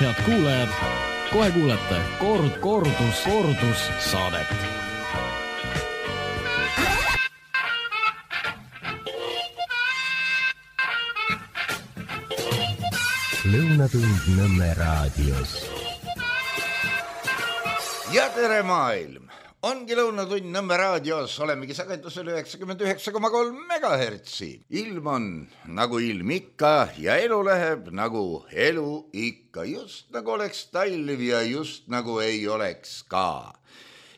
Head kuulajad, kohe kuulete kordus saadet. Lõunatund Nõmme raadios. Ja tere maailm! Ongi Lõunatund Nõmme raadios, olemegi sagedusel 99,3 megahertsi. Ilm on nagu ilm ikka ja elu läheb nagu elu ikka. Just nagu oleks talv ja just nagu ei oleks ka.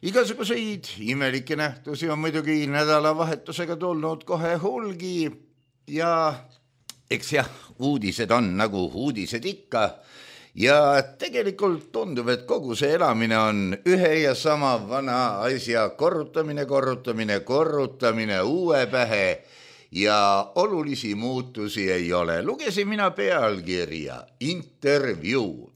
Igasuguseid imelikke nähtusi on muidugi nädalavahetusega tulnud kohe hulgi ja eks jah, uudised on nagu uudised ikka. Ja tegelikult tundub, et kogu see elamine on ühe ja sama vana asja korrutamine uue pähe ja olulisi muutusi ei ole. Lugesin mina pealkirja, intervjuu.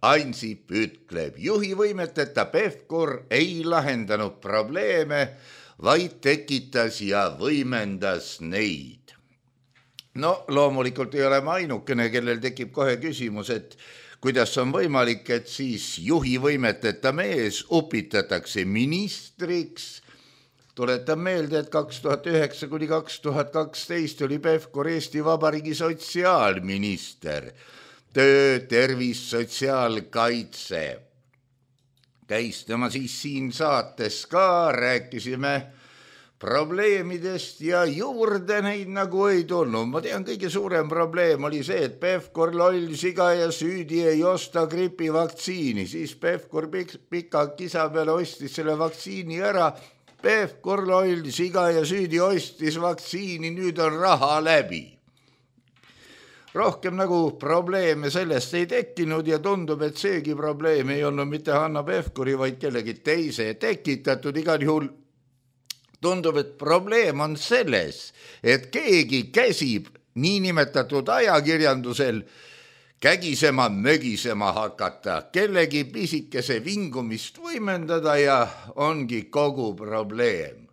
Ansip ütleb, juhi võimeteta Pevkur ei lahendanud probleeme, vaid tekitas ja võimendas neid. No loomulikult ei ole ma ainukene, kellel tekib kohe küsimus, et kuidas on võimalik, et siis juhi võimeteta mees upitatakse ministriks. Tuletan meelde, et 2009 kuni 2012 oli Pevkur Eesti Vabariigi sotsiaalminister. Töö, tervis, sotsiaalkaitse. Käis tema siis siin saates ka, rääkisime probleemidest ja juurde neid nagu ei tulnud. Ma tean, kõige suurem probleem oli see, et Pevkur loll siga ja süüdi ei osta gripivaktsiini. Siis Pevkur pika kisa peale ostis selle vaktsiini ära. Pevkur loll siga ja süüdi ostis vaktsiini, nüüd on raha läbi. Rohkem nagu probleeme sellest ei tekkinud ja tundub, et seegi probleem ei olnud mitte Hanna Pevkuri, vaid kellegi teise tekitatud. Igal juhul tundub, et probleem on selles, et keegi käsib niinimetatud ajakirjandusel kägisema, mögisema hakata, kellegi pisikese vingumist võimendada ja ongi kogu probleem.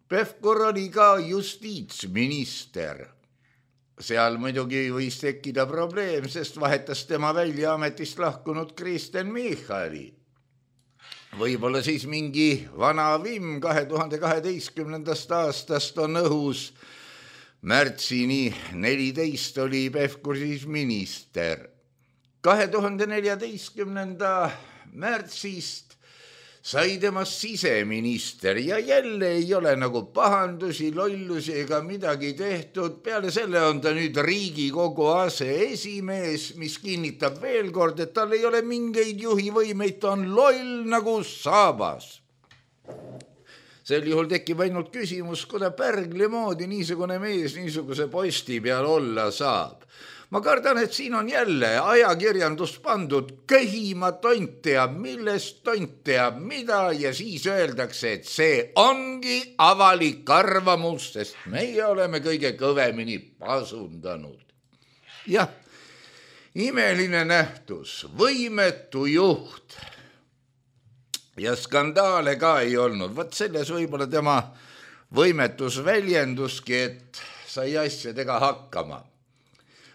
Pevkur oli ka justiitsminister. Seal muidugi võis tekkida probleem, sest vahetas tema välja ametist lahkunud Kristen Michali. Võib-olla siis mingi vana vimm 2012. aastast on õhus. Märtsini 14 oli Pevkur siis minister. 2014. märtsist sai temast siseminister ja jälle ei ole nagu pahandusi, lollusi ega midagi tehtud. Peale selle on ta nüüd Riigikogu aseesimees, mis kinnitab veel kord, et tal ei ole mingeid juhivõimeid, ta on loll nagu saabas. Sel juhul tekib ainult küsimus, kuida Pärgli moodi niisugune mees niisuguse posti peal olla saab. Ma kardan, et siin on jälle ajakirjandus pandud köhima, tont teab millest, tont teab mida ja siis öeldakse, et see ongi avalik arvamus, sest meie oleme kõige kõvemini pasundanud. Jah, imeline nähtus, võimetu juht ja skandaale ka ei olnud. Vaat selles võib-olla tema võimetus väljenduski, et sai asjadega hakkama.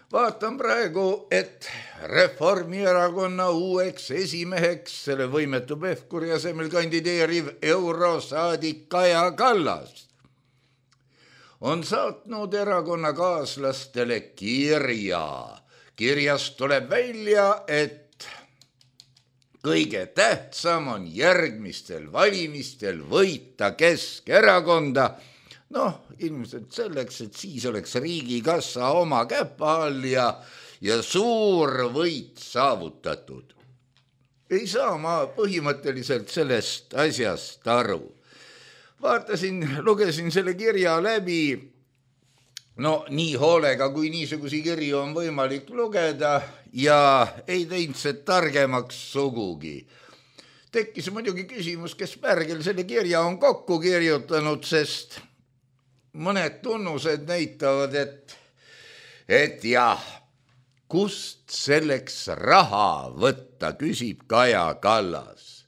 Vaatan praegu, et Reformierakonna uueks esimeheks selle võimetu Pevkuri asemel kandideeriv eurosaadik Kaja Kallas on saatnud erakonnakaaslastele kirja. Kirjast tuleb välja, et kõige tähtsam on järgmistel valimistel võita Keskerakonda. Noh, ilmselt selleks, et siis oleks riigikassa oma käpa all ja suur võit saavutatud. Ei saa ma põhimõtteliselt sellest asjast aru. Lugesin selle kirja läbi, no nii hoolega, kui niisugusi kirju on võimalik lugeda ja ei teinud see targemaks sugugi. Tekkis muidugi küsimus, kes Pärgel selle kirja on kokku kirjutanud, sest mõned tunnused näitavad, et jah, kust selleks raha võtta, küsib Kaja Kallas.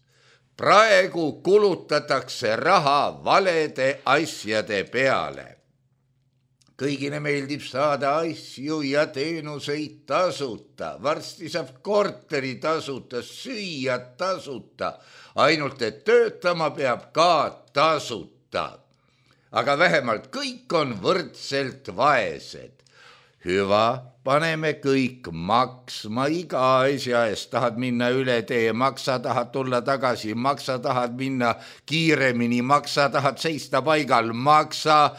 Praegu kulutatakse raha valede asjade peale. kõigile meeldib saada asju ja teenuseid tasuta, varsti saab korteri tasuta, süüa tasuta, ainult et töötama peab ka tasuta. Aga vähemalt kõik on võrdselt vaesed. Hüva, paneme kõik maksma iga asja eest, tahad minna üle tee, maksa, tahad tulla tagasi, maksa, tahad minna kiiremini, maksa, tahad seista paigal, maksa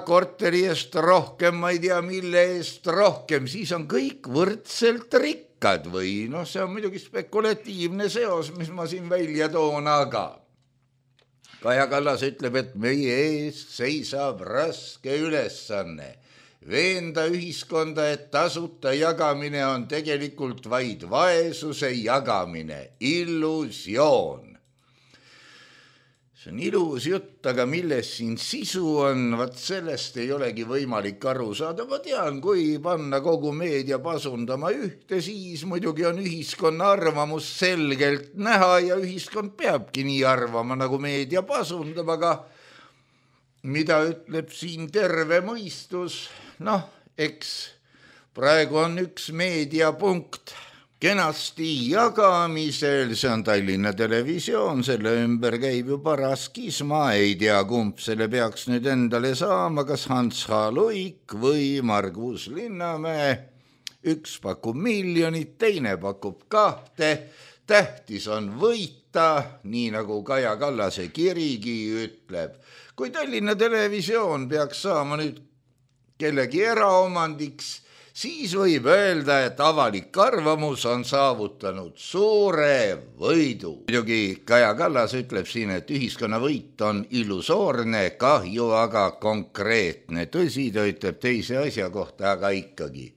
korteri eest rohkem, ma ei tea, mille eest rohkem, siis on kõik võrdselt rikkad või see on muidugi spekulatiivne seos, mis ma siin välja toon, aga Kaja Kallas ütleb, et meie ees seisab raske ülesanne. Veenda ühiskonda, et tasuta jagamine on tegelikult vaid vaesuse jagamine, illusioon. See on ilus jutt, aga milles siin sisu on, vaat sellest ei olegi võimalik aru saada. Ma tean, kui panna kogu meedia pasundama ühte, siis muidugi on ühiskonna arvamus selgelt näha ja ühiskond peabki nii arvama, nagu meedia pasundab, aga mida ütleb siin terve mõistus? Eks praegu on üks meediapunkt kenasti jagamisel, see on Tallinna Televisioon, selle ümber käib ju paras kisma, ei tea, kumb selle peaks nüüd endale saama, kas Hans H. Luik või Margus Linnamäe. Üks pakub 1 miljonit, teine pakub 2, tähtis on võita, nii nagu Kaja Kallase kirigi ütleb. Kui Tallinna Televisioon peaks saama nüüd kellegi eraomandiks, siis võib öelda, et avalik arvamus on saavutanud suure võidu. Muidugi Kaja Kallas ütleb siin, et ühiskonna võit on illusoorne, kahju aga konkreetne. Tõsi, ta ütleb teise asja kohta, aga ikkagi.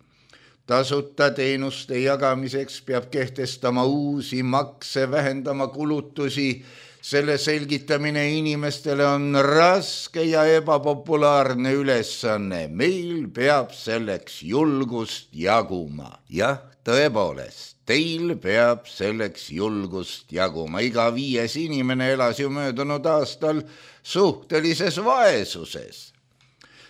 Tasuta teenuste jagamiseks peab kehtestama uusi makse, vähendama kulutusi. Selle selgitamine inimestele on raske ja ebapopulaarne ülesanne. Meil peab selleks julgust jaguma. Jah, tõepoolest, teil peab selleks julgust jaguma. Iga 5. inimene elas ju möödunud aastal suhtelises vaesuses.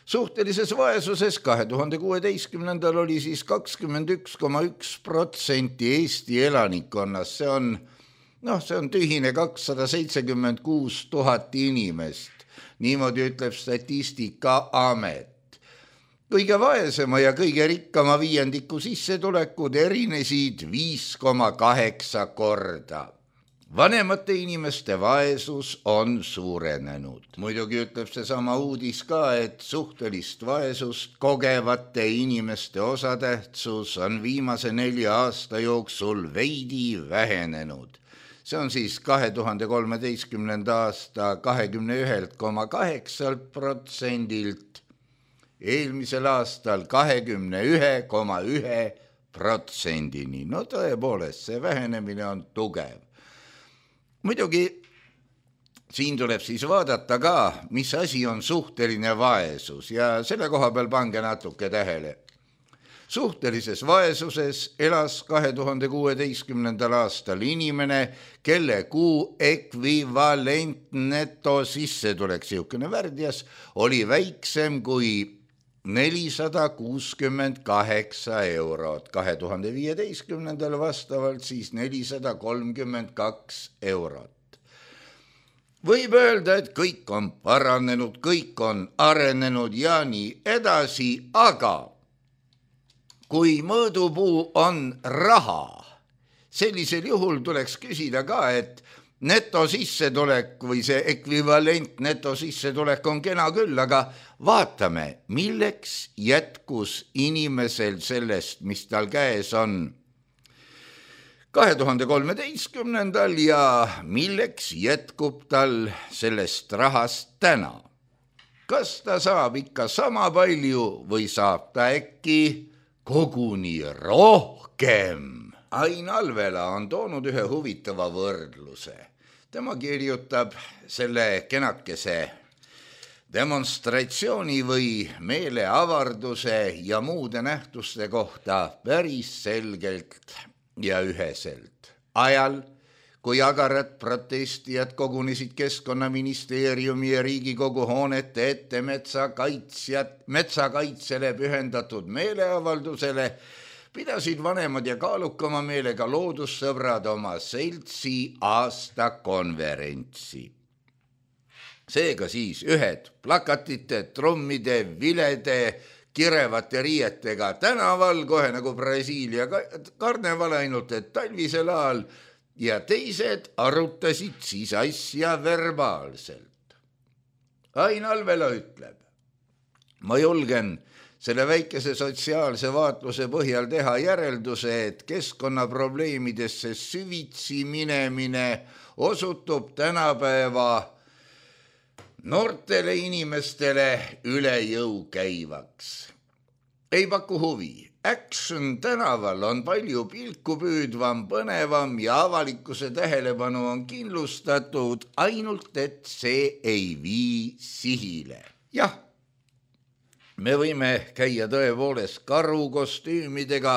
Suhtelises vaesuses 2016. oli siis 21,1% Eesti elanikkonnast. See on tühine 276 000 inimest. Niimoodi ütleb Statistikaamet. Kõige vaesema ja kõige rikkama viiendiku sissetulekud erinesid 5,8 korda. Vanemate inimeste vaesus on suurenenud. Muidugi ütleb see sama uudis ka, et suhtelist vaesust kogevate inimeste osatähtsus on viimase 4 aasta jooksul veidi vähenenud. See on siis 2013. aasta 21,8%-lt, eelmisel aastal 21,1%-ni. Tõepoolest, see vähenemine on tugev. Muidugi siin tuleb siis vaadata ka, mis asi on suhteline vaesus ja selle koha peal pange natuke tähele. Suhtelises vaesuses elas 2016. aastal inimene, kelle kuu ekvivalent netosissetulek, siukene värdjas, oli väiksem kui 468 eurot, 2015. vastavalt siis 432 eurot. Võib öelda, et kõik on paranenud, kõik on arenenud ja nii edasi, aga kui mõõdupuu on raha, sellisel juhul tuleks küsida ka, et netosissetulek või see ekvivalent netosissetulek on kena küll, aga vaatame, milleks jätkus inimesel sellest, mis tal käes on 2013. ja milleks jätkub tal sellest rahast täna. Kas ta saab ikka sama palju või saab ta äkki koguni rohkem? Ain Alvela on toonud ühe huvitava võrdluse. Tema kirjutab selle kenakese demonstratsiooni või meeleavarduse ja muude nähtuste kohta päris selgelt ja üheselt. Ajal, kui agarad protestijad kogunesid Keskkonnaministeeriumi ja Riigikogu hoonete ette metsakaitsele pühendatud meeleavaldusele, pidasid vanemad ja kaalukama meelega loodussõbrad oma seltsi aastakonverentsi. Seega siis ühed plakatite, trummide, vilede, kirevate riietega tänaval, kohe nagu Brasiilia karneval, ainult et talvisel ajal, ja teised arutasid siis asja verbaalselt. Ain Alvela ütleb, ma julgen selle väikese sotsiaalse vaatluse põhjal teha järelduse, et keskkonnaprobleemidesse süvitsi minemine osutub tänapäeva noortele inimestele üle jõu käivaks. Ei paku huvi. Action tänaval on palju pilku püüdvam, põnevam ja avalikkuse tähelepanu on kindlustatud, ainult et see ei vii sihile. Jah, me võime käia tõepoolest karukostüümidega,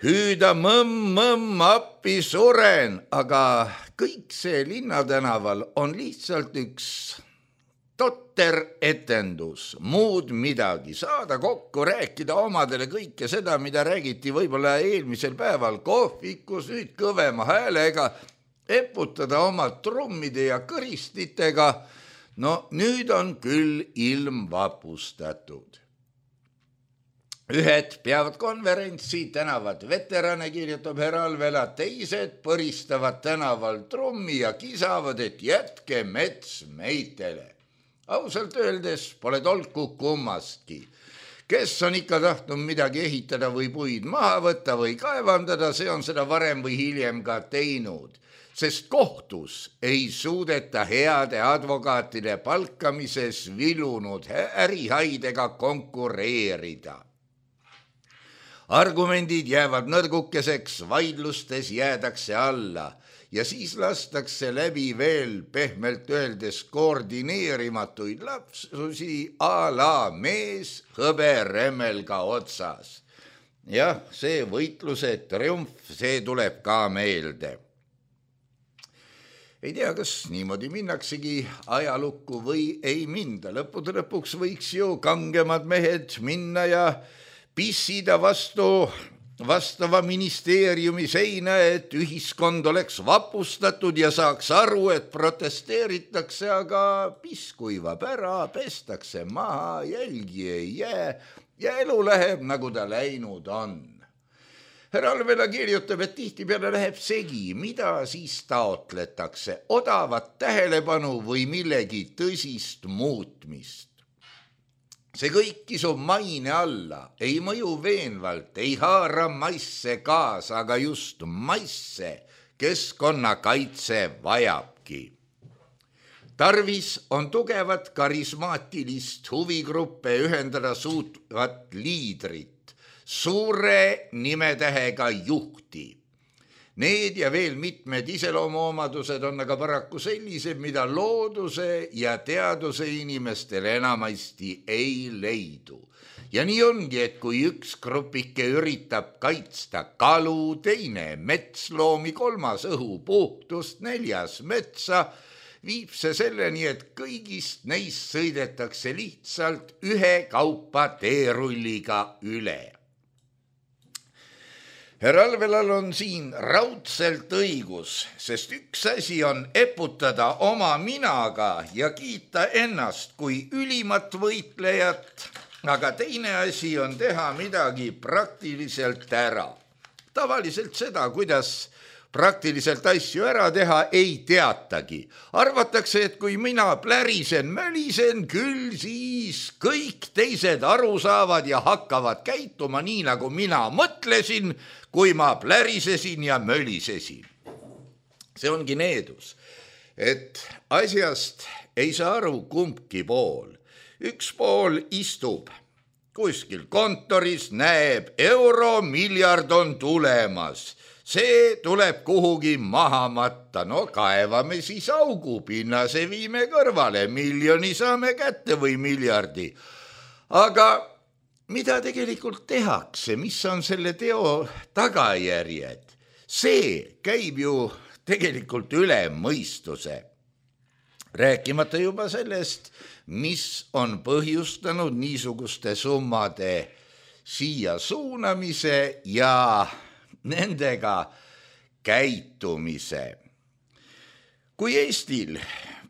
hüüda mõmm, appi suren, aga kõik see linnatänaval on lihtsalt üks totter etendus, muud midagi, saada kokku, rääkida omadele kõike seda, mida räägiti võib-olla eelmisel päeval kohvikus, nüüd kõvema häälega, eputada oma trummide ja kõristitega. No nüüd on küll ilm vapustatud. Ühed peavad konverentsi, tänavad veterane, kirjutab härra Alvela, teised põristavad tänaval trummi ja kisavad, et jätke mets meitele. Ausalt öeldes pole tolku kummastki. Kes on ikka tahtnud midagi ehitada või puid maha võtta või kaevandada, see on seda varem või hiljem ka teinud. Sest kohtus ei suudeta heade advokaatide palkamises vilunud ärihaidega konkureerida. Argumendid jäävad nõrgukeseks, vaidlustes jäädakse alla ja siis lastakse läbi veel pehmelt öeldes koordineerimatuid lapsusi a la mees hõberemmelga otsas. Jah, see võitluse triumf, see tuleb ka meelde. Ei tea, kas niimoodi minnaksegi ajalukku või ei minda. Lõppude lõpuks võiks ju kangemad mehed minna ja pissida vastava ministeeriumi seina, et ühiskond oleks vapustatud ja saaks aru, et protesteeritakse, aga piss kuivab ära, pestakse maha, jälgi ei jää ja elu läheb, nagu ta läinud on. Härra Alvela kirjutab, et tihtipeale läheb segi, mida siis taotletakse, odavat tähelepanu või millegi tõsist muutmist. See kõik kisub maine alla, ei mõju veenvalt, ei haara masse kaasa, aga just masse keskkonnakaitse vajabki. Tarvis on tugevat karismaatilist huvigruppe ühendada suutvat liidrit, suure nimetähega juhti. Need ja veel mitmed iseloomuomadused on aga paraku sellised, mida looduse ja teaduse inimestele enamasti ei leidu. Ja nii ongi, et kui üks grupike üritab kaitsta kalu, teine metsloomi, kolmas õhu puhtust, neljas metsa, viib see selleni, et kõigist neist sõidetakse lihtsalt ühe kaupa teerulliga üle. Härra Alvelal on siin raudselt õigus, sest üks asi on eputada oma minaga ja kiita ennast kui ülimat võitlejat, aga teine asi on teha midagi praktiliselt ära. Tavaliselt seda, kuidas praktiliselt asju ära teha, ei teatagi. Arvatakse, et kui mina plärisen, mölisen, küll siis kõik teised aru saavad ja hakkavad käituma nii, nagu mina mõtlesin, kui ma plärisesin ja mölisesin. See ongi needus, et asjast ei saa aru kumbki pool. Üks pool istub kuskil kontoris, näeb, euromiljard on tulemas. See tuleb kuhugi maha matta, no kaevame siis augu, pinnase viime kõrvale, miljoni saame kätte või miljardi. Aga mida tegelikult tehakse, mis on selle teo tagajärjed? See käib ju tegelikult üle mõistuse. Rääkimata juba sellest, mis on põhjustanud niisuguste summade siia suunamise ja nendega käitumise. Kui Eestil,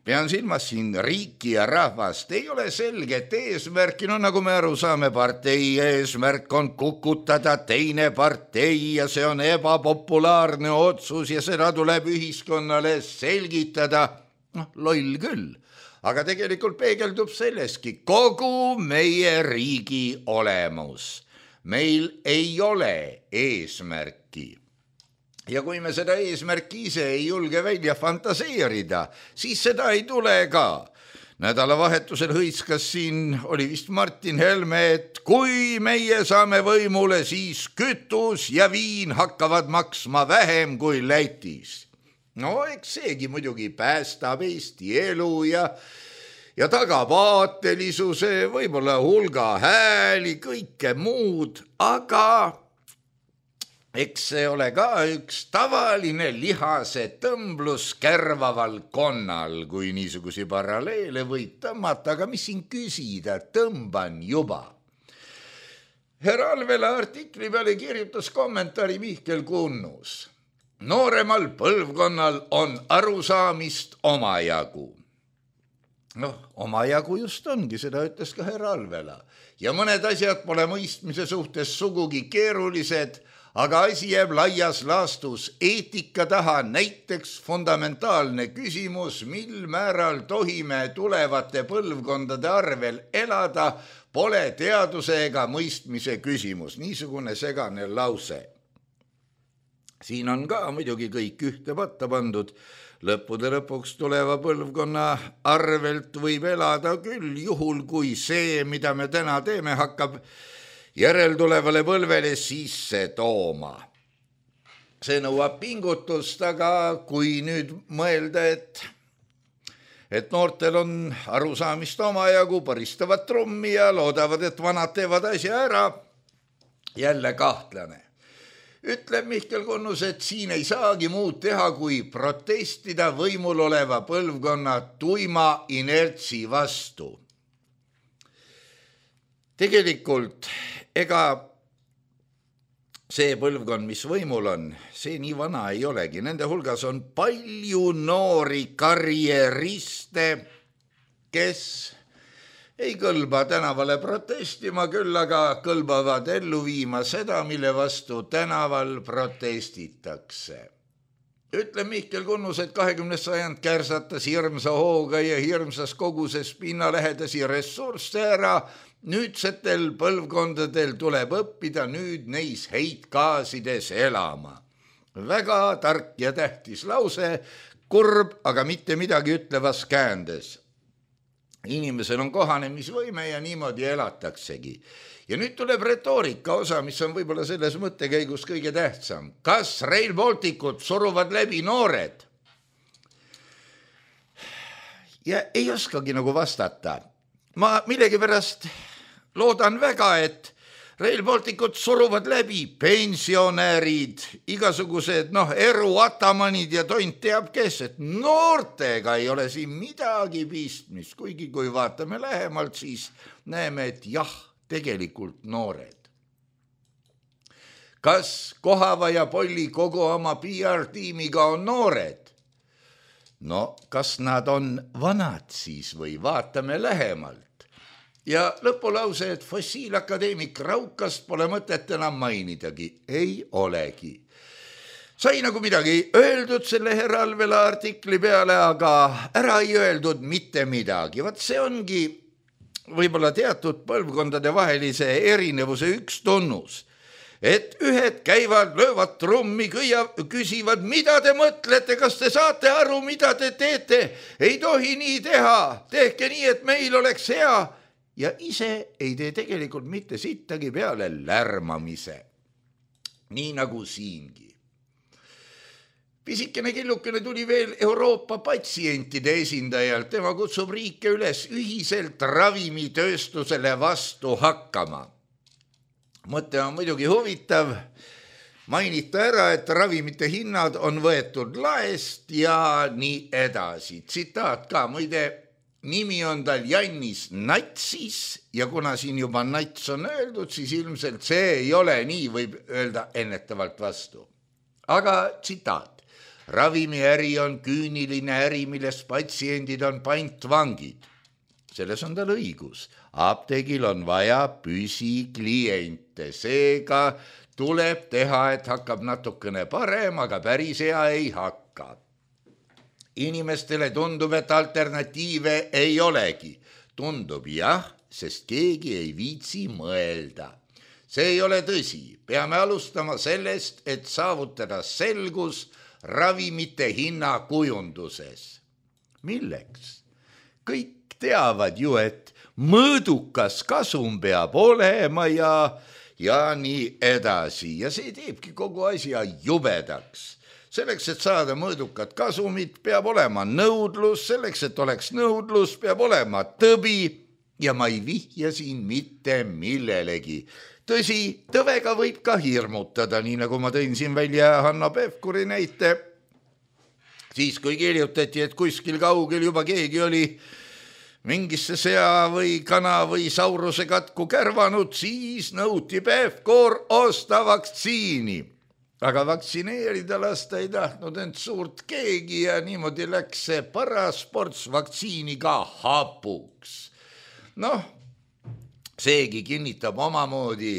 pean silmas siin riiki ja rahvast, ei ole selget eesmärki, nagu me aru saame, partei eesmärk on kukutada teine partei ja see on ebapopulaarne otsus ja seda tuleb ühiskonnale selgitada. Loll küll, aga tegelikult peegeldub selleski kogu meie riigi olemus. Meil ei ole eesmärki. Ja kui me seda eesmärki ise ei julge välja fantaseerida, siis seda ei tule ka. Nädalavahetusel hõiskas siin, oli vist Martin Helme, et kui meie saame võimule, siis kütus ja viin hakkavad maksma vähem kui Lätis. No eks seegi muidugi päästab Eesti elu ja tagab aatelisuse, võib-olla hulga hääli, kõike muud, aga eks see ole ka üks tavaline lihase tõmblus kärvaval konnal, kui niisugusi paralleele võib tõmmata, aga mis siin küsida, tõmban juba. Herra Alvela artikli peale kirjutas kommentaari Mihkel Kunnus. Nooremal põlvkonnal on arusaamist omajagu. Omajagu just ongi, seda ütles ka herra Alvela. Ja mõned asjad pole mõistmise suhtes sugugi keerulised, aga asi jääb laias laastus eetika taha, näiteks fundamentaalne küsimus, mil määral tohime tulevate põlvkondade arvel elada, pole teaduse ega mõistmise küsimus. Niisugune segane lause. Siin on ka muidugi kõik ühte patta pandud. Lõppude lõpuks tuleva põlvkonna arvelt võib elada küll, juhul kui see, mida me täna teeme, hakkab järeltulevale põlvele sisse tooma. See nõuab pingutust, aga kui nüüd mõelda, et noortel on arusaamist omajagu, paristavad trummi ja loodavad, et vanad teevad asja ära, jälle kahtlane. Ütleb Mihkel Kunnus, et siin ei saagi muud teha, kui protestida võimul oleva põlvkonna tuima inertsi vastu. Tegelikult ega see põlvkond, mis võimul on, see nii vana ei olegi. Nende hulgas on palju noori karjeriste, kes ei kõlba tänavale protestima, küll aga kõlbavad ellu viima seda, mille vastu tänaval protestitakse. Ütleb Mihkel Kunnus, et 20. sajand kärsatas hirmsa hooga ja hirmsas koguses pinnalähedasi ressursse ära. Nüüdsetel põlvkondadel tuleb õppida nüüd neis heitgaasides elama. Väga tark ja tähtis lause, kurb, aga mitte midagi ütlevas käändes. Inimesel on kohanemisvõime ja niimoodi elataksegi. Ja nüüd tuleb retoorika osa, mis on võib-olla selles mõttekäigus kõige tähtsam. Kas Rail Balticut suruvad läbi noored? Ja ei oskagi nagu vastata. Ma millegipärast loodan väga, et Rail Balticut suruvad läbi pensionärid, igasugused eruatamanid ja tont teab kes, et noortega ei ole siin midagi pistmist, kuigi kui vaatame lähemalt, siis näeme, et jah, tegelikult noored. Kas Kohava ja Polli kogu oma PR-tiimiga on noored? No, kas nad on vanad siis või vaatame lähemalt? Ja lõpulause, et fossiilakadeemik Raukast pole mõtet enam mainidagi. Ei olegi. Sai nagu midagi öeldud selle herra Alvela artikli peale, aga ära ei öeldud mitte midagi. Vaat see ongi võib-olla teatud põlvkondade vahelise erinevuse üks tunnus. Et ühed käivad, löövad trummi, küsivad, mida te mõtlete, kas te saate aru, mida te teete? Ei tohi nii teha, tehke nii, et meil oleks hea. Ja ise ei tee tegelikult mitte sittagi peale lärmamise. Nii nagu siingi. Pisikene killukene tuli veel Euroopa patsientide esindajalt. Tema kutsub riike üles ühiselt ravimitööstusele vastu hakkama. Mõte on muidugi huvitav. mainita ära, et ravimite hinnad on võetud laest ja nii edasi. Tsitaat ka, muide, nimi on tal Jannis Natsis ja kuna siin juba nats on öeldud, siis ilmselt see ei ole nii, võib öelda ennetavalt vastu. Aga tsitaat. Ravimiäri on küüniline äri, milles patsiendid on pantvangid. Selles on tal õigus. Apteegil on vaja püsikliente. Seega tuleb teha, et hakkab natukene parem, aga päris hea ei hakka. Inimestele tundub, et alternatiive ei olegi. Tundub jah, sest keegi ei viitsi mõelda. See ei ole tõsi. Peame alustama sellest, et saavutada selgus ravimite hinna kujunduses. Milleks? Kõik teavad ju, et mõõdukas kasum peab olema ja nii edasi. Ja see teebki kogu asja jubedaks. Selleks, et saada mõõdukat kasumit, peab olema nõudlus. Selleks, et oleks nõudlus, peab olema tõbi. Ja ma ei vihja siin mitte millelegi. Tõsi, tõvega võib ka hirmutada, nii nagu ma tõin siin välja Hanno Pevkuri näite. Siis kui kirjutati, et kuskil kaugel juba keegi oli mingisse sea või kana või sauruse katku kärvanud, siis nõuti Pevkur osta vaktsiini. Aga vaktsineerida lasta ei tahtnud end suurt keegi ja niimoodi läks see parasports vaktsiiniga hapuks. Seegi kinnitab omamoodi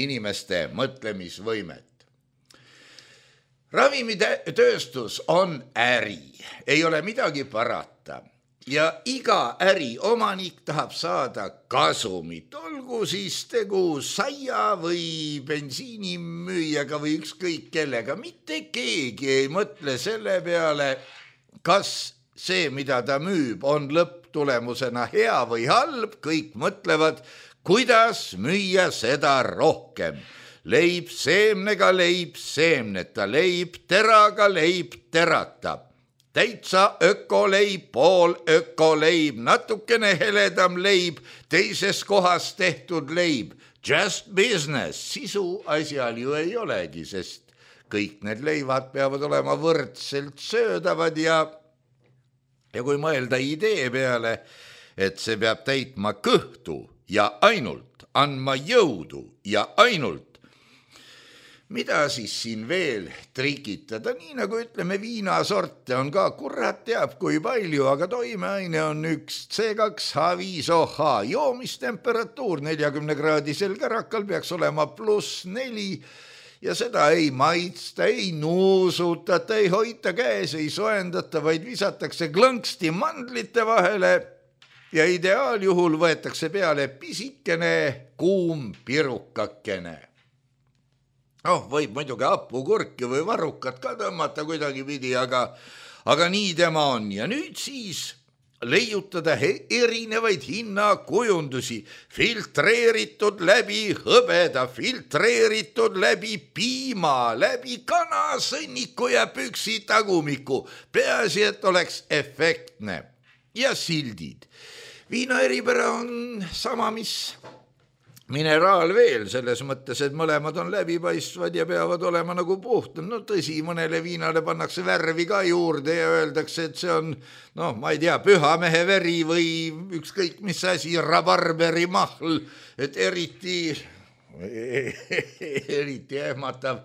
inimeste mõtlemisvõimet. Ravimitööstus on äri, ei ole midagi parata ja iga äri omanik tahab saada kasumit, olgu siis tegu saia või bensiinimüüjaga või ükskõik kellega. Mitte keegi ei mõtle selle peale, kas see, mida ta müüb, on lõpptulemusena hea või halb, kõik mõtlevad, kuidas müüa seda rohkem. Leib seemnega, leib seemneta, leib teraga, leib terata. Täitsa ökoleib, pool ökoleib, natukene heledam leib, teises kohas tehtud leib. Just business, sisu asjal ju ei olegi, sest kõik need leivad peavad olema võrdselt söödavad ja kui mõelda idee peale, et see peab täitma kõhtu ja ainult, andma jõudu ja ainult, mida siis siin veel trikitada, nii nagu ütleme, viinasorte on ka, kurat teab kui palju, aga toimeaine on üks C2H5OH, joomistemperatuur 40-kraadisel kärakal peaks olema +4 ja seda ei maitsta, ei nuusutata, ei hoita käes, ei soendata, vaid visatakse klõnksti mandlite vahele ja ideaaljuhul võetakse peale pisikene kuum pirukakene. Võib muidugi hapukurki või varrukat ka tõmmata kuidagipidi, aga nii tema on. Ja nüüd siis leiutada erinevaid hinnakujundusi, filtreeritud läbi hõbeda, filtreeritud läbi piima, läbi kana, sõnniku ja püksi tagumiku. Peaasi, et oleks efektne. Ja sildid. Viina eripära on sama, mis mineraal veel, selles mõttes, et mõlemad on läbipaistvad ja peavad olema nagu puhtad. Tõsi, mõnele viinale pannakse värvi ka juurde ja öeldakse, et see on, ma ei tea, pühamehe veri või ükskõik mis asi, rabarberi mahl, et eriti ehmatav.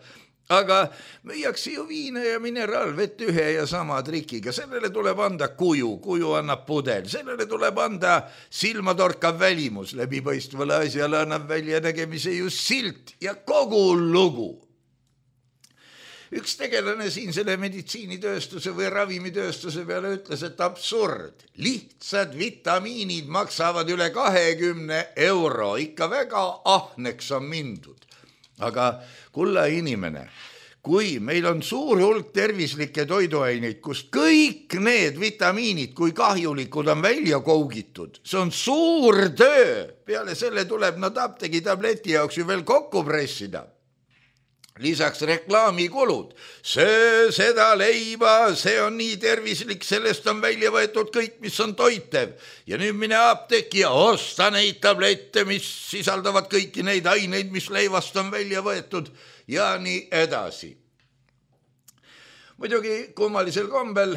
Aga müüakse ju viina ja mineraalvett ühe ja sama trikiga. Sellele tuleb anda kuju annab pudel. Sellele tuleb anda silmatorkav välimus. Läbipaistvale asjale annab välja nägemise just silt ja kogu lugu. Üks tegelane siin selle meditsiinitööstuse või ravimitööstuse peale ütles, et absurd. Lihtsad vitamiinid maksavad üle 20 €. Ikka väga ahneks on mindud. Aga kulla inimene, kui meil on suur hulk tervislikke toiduaineid, kus kõik need vitamiinid, kui kahjulikud on välja kougitud, see on suur töö. Peale selle tuleb nad apteegi tableti jaoks ju veel kokku pressida. lisaks reklaamikulud. Söö seda leiba, see on nii tervislik, sellest on välja võetud kõik, mis on toitev. Ja nüüd mine apteeki ja osta neid tablette, mis sisaldavad kõiki neid aineid, mis leivast on välja võetud ja nii edasi. Muidugi kummalisel kombel,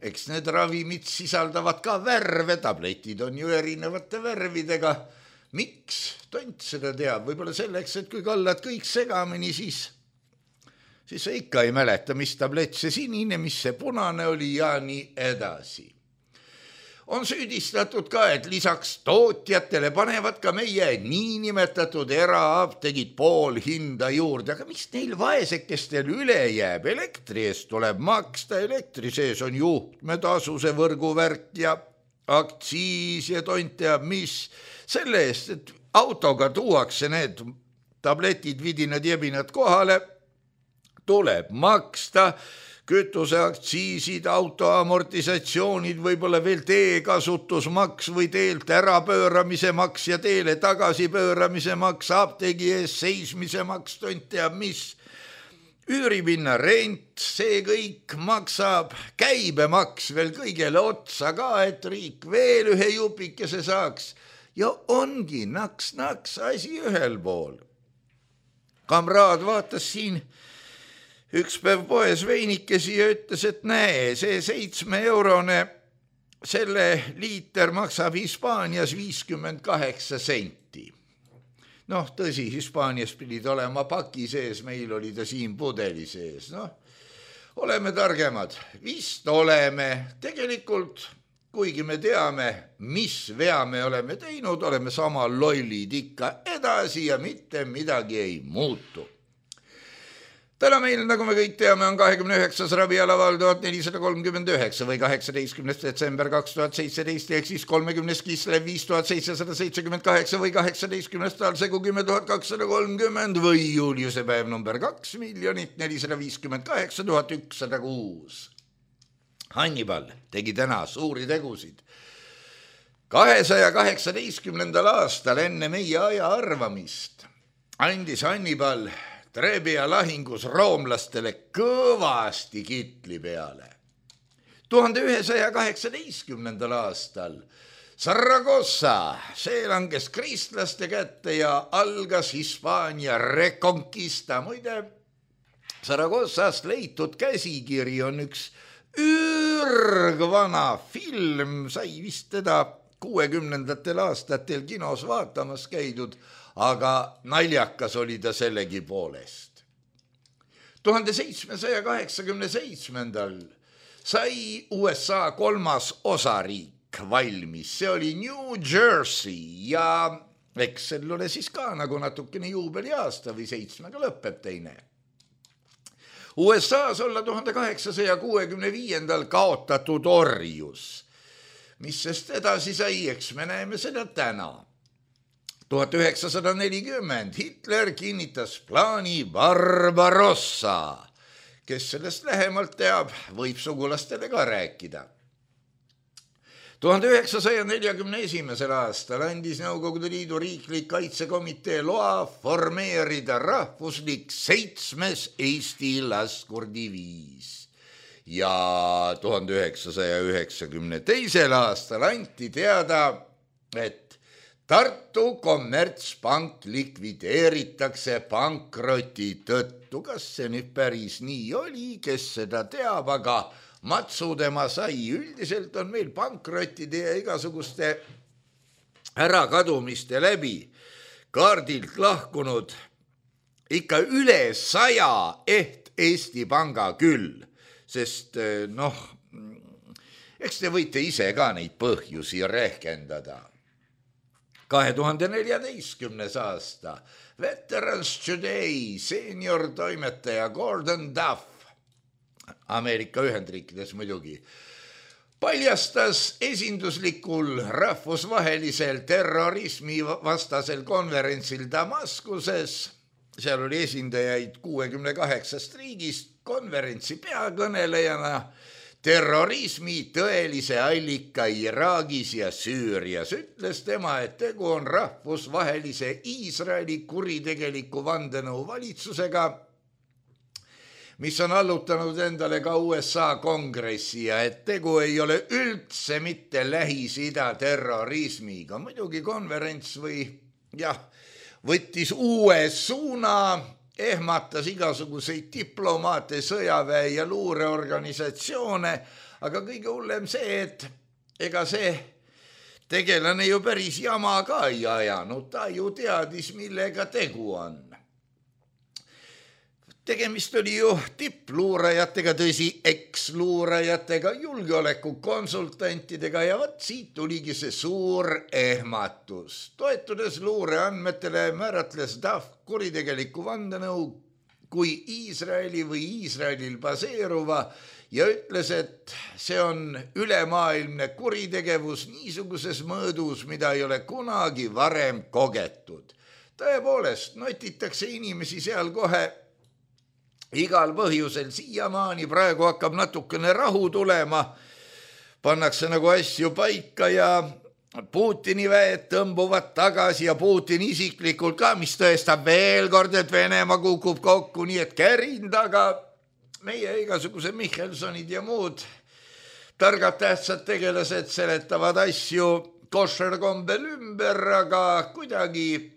eks need ravimid sisaldavad ka värve, tabletid on ju erinevate värvidega. Miks? Tont seda teab, võib-olla selleks, et kui kallad kõik segamini, siis sa ikka ei mäleta, mis tablett see sinine, mis see punane oli ja nii edasi. On süüdistatud ka, et lisaks tootjatele panevad ka meie niinimetatud eraaptegid pool hinda juurde, aga mis neil vaesekestel üle jääb? Elektri eest tuleb maksta, elektri sees on juhtmetasuse võrguvärk ja aktsiis ja tont teab mis. Selle eest, et autoga tuuakse need tabletid, vidinad, jebinad kohale, tuleb maksta, kütuseaktsiisid, auto amortisatsioonid, võib-olla veel teekasutusmaks või teelt ärapööramise maks ja teele tagasi pööramise maks, apteegi ees seismise maks, tont teab mis. Üüripinna rent, see kõik maksab, käibemaks veel kõigele otsa ka, et riik veel ühe jupikese saaks. Ja ongi naks asi ühel pool. Kamraad vaatas siin üks päev poes veinikesi ja ütles, et näe, see 7-eurone, selle liiter maksab Hispaanias 58 senti. Noh, tõsi, Hispaanias pidid olema paki sees, meil oli ta siin pudeli sees. Noh, oleme targemad, vist oleme, tegelikult kuigi me teame, mis vea me oleme teinud, oleme sama lollid ikka edasi ja mitte midagi ei muutu. Täna meil, nagu me kõik teame, on 29. ravialaval 1439 või 18. detsember 2017 ehk siis 30. kislev 5778 või 18. talsegu 10 230 või juuliuse päev number 2 458 106. Hannibal tegi täna suuri tegusid. 218. aastal enne meie aja arvamist andis Hannibal Trebia lahingus roomlastele kõvasti kitli peale. 1118. aastal Saragossa, see langes kristlaste kätte ja algas Hispaania reconquista. Muide, Saragossast leitud käsikiri on üks ürgvana film, sai vist teda 60. aastatel kinos vaatamas käidud, aga naljakas oli ta sellegi poolest. 1787. sai USA 3. osariik valmis, see oli New Jersey ja eks sellele siis ka nagu natukene juubeliaasta või 7 lõpeb teine. USA's olla 1865. kaotatud orjus. Mis sest edasi sai, eks me näeme seda täna. 1940 Hitler kinnitas plaani Barbarossa. Kes sellest lähemalt teab, võib sugulastele ka rääkida. 1941. aastal andis Nõukogude Liidu riiklik kaitsekomitee loa formeerida rahvuslik 7. Eesti laskurdiviis. Ja 1992. aastal anti teada, et Tartu kommertspank likvideeritakse pankroti tõttu. Kas see nüüd päris nii oli, kes seda teab, aga matsu tema sai. Üldiselt on meil pankrotide ja igasuguste ärakadumiste läbi kaardilt lahkunud ikka üle 100 Eesti panga küll, sest eks te võite ise ka neid põhjusi rehkendada. 2014. aasta Veterans Today senior toimetaja Gordon Duff, Ameerika Ühendriikides muidugi, paljastas esinduslikul rahvusvahelisel terrorismi vastasel konverentsil Damaskuses, seal oli esindajaid 68 riigist, konverentsi peakõnelejana terrorismi tõelise allika Iraagis ja Süürias. Ütles tema, et tegu on rahvusvahelise Iisraeli kuritegeliku vandenõu valitsusega, mis on allutanud endale ka USA kongressi ja et tegu ei ole üldse mitte Lähis-Ida terrorismiga. Muidugi konverents võttis uue suuna, ehmatas igasuguseid diplomaate, sõjaväe ja luureorganisatsioone, aga kõige hullem see, et ega see tegelane ju päris jama ka ei ajanud, ta ju teadis, millega tegu on. Tegemist oli ju tippluurajatega, tõsi, eksluurajatega, julgeolekukonsultantidega ja siit tuligi see suur ehmatus. Toetudes luureandmetele määratles DAF kuritegeliku vandenõu kui Iisraeli või Iisraelil baseeruva ja ütles, et see on ülemaailmne kuritegevus niisuguses mõõdus, mida ei ole kunagi varem kogetud. Tõepoolest, notitakse inimesi seal kohe igal põhjusel siiamaani, praegu hakkab natukene rahu tulema, pannakse nagu asju paika ja Putini väed tõmbuvad tagasi ja Putin isiklikult ka, mis tõestab veel kord, et Venemaa kukub kokku, nii et kärin taga. Meie igasuguse Michelsonid ja muud targad tähtsad tegelased seletavad asju koššerkombel ümber, aga kuidagi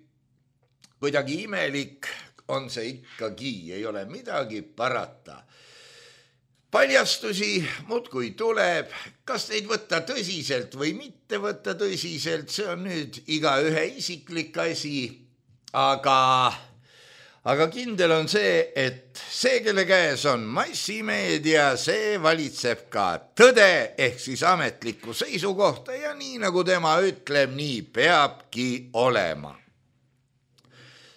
imelik on see ikkagi, ei ole midagi parata. Paljastusi muudkui tuleb, kas neid võtta tõsiselt või mitte võtta tõsiselt, see on nüüd igaühe isiklik asi, aga kindel on see, et see, kelle käes on massimeedia, see valitseb ka tõde ehk siis ametlikku seisukohta ja nii nagu tema ütleb, nii peabki olema.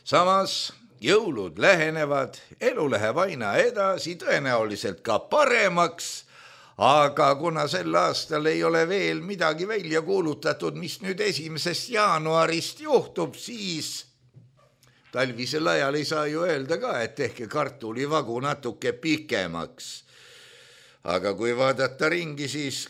Samas jõulud lähenevad, elu läheb aina edasi, tõenäoliselt ka paremaks, aga kuna sel aastal ei ole veel midagi välja kuulutatud, mis nüüd 1. jaanuarist juhtub, siis talvisel ajal ei saa ju öelda ka, et tehke kartulivagu natuke pikemaks. Aga kui vaadata ringi, siis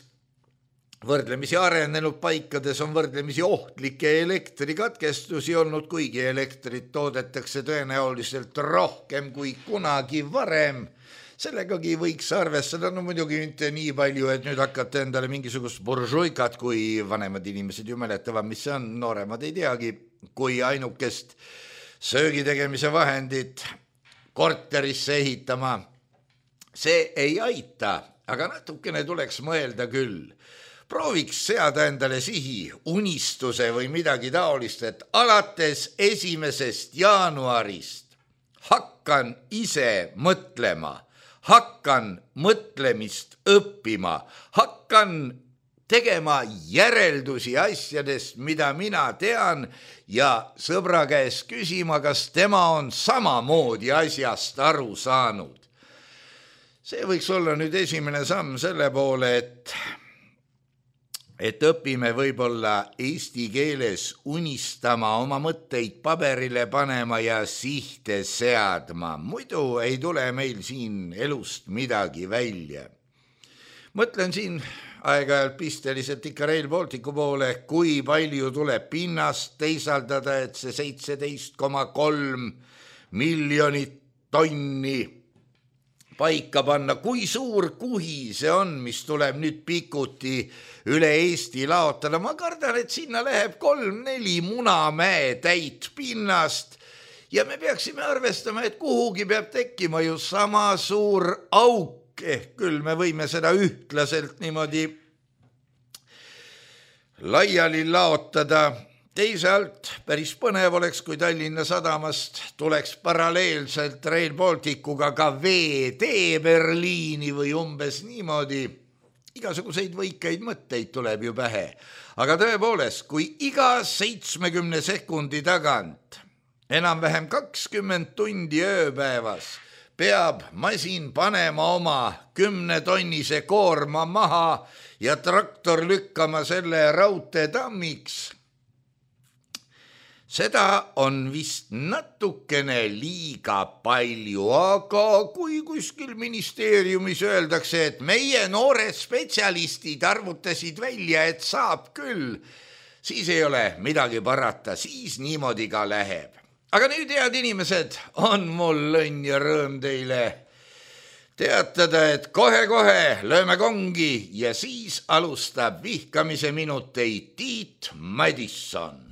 võrdlemisi arenenud paikades on võrdlemisi ohtlikke elektrikatkestusi olnud, kuigi elektrit toodetakse tõenäoliselt rohkem kui kunagi varem. Sellegagi võiks arvestada, no muidugi mitte nii palju, et nüüd hakkate endale mingisugust buržuikat, kui vanemad inimesed ju mäletavad, mis see on, nooremad ei teagi, kui ainukest söögitegemise vahendit korterisse ehitama. See ei aita, aga natukene tuleks mõelda küll. Prooviks seada endale sihi, unistuse või midagi taolist, et alates 1. jaanuarist hakkan ise mõtlema, hakkan mõtlemist õppima, hakkan tegema järeldusi asjadest, mida mina tean ja sõbra käest küsima, kas tema on samamoodi asjast aru saanud. See võiks olla nüüd esimene samm selle poole, et õpime võib-olla eesti keeles unistama, oma mõtteid paberile panema ja sihte seadma. Muidu ei tule meil siin elust midagi välja. Mõtlen siin aeg-ajalt pisteliselt ikka Rail Balticu poole, kui palju tuleb pinnast teisaldada, et see 17,3 miljonit tonni paika panna. Kui suur kuhi see on, mis tuleb nüüd pikuti üle Eesti laotada? Ma kardan, et sinna läheb 3-4 Munamäe täit pinnast ja me peaksime arvestama, et kuhugi peab tekkima ju sama suur auk. Küll me võime seda ühtlaselt niimoodi laiali laotada. Teisalt päris põnev oleks, kui Tallinna sadamast tuleks paralleelselt Rail Balticuga ka veetee Berliini või umbes niimoodi. Igasuguseid võikaid mõtteid tuleb ju pähe. Aga tõepoolest, kui iga 70 sekundi tagant enam-vähem 20 tundi ööpäevas peab masin panema oma 10-tonnise koorma maha ja traktor lükkama selle raudteetammiks. Seda on vist natukene liiga palju, aga kui kuskil ministeeriumis öeldakse, et meie noored spetsialistid arvutasid välja, et saab küll, siis ei ole midagi parata, siis niimoodi ka läheb. Aga nüüd, head inimesed, on mul õnn ja rõõm teile teatada, et kohe-kohe lööme kongi ja siis alustab vihkamise minuteid Tiit Madisson.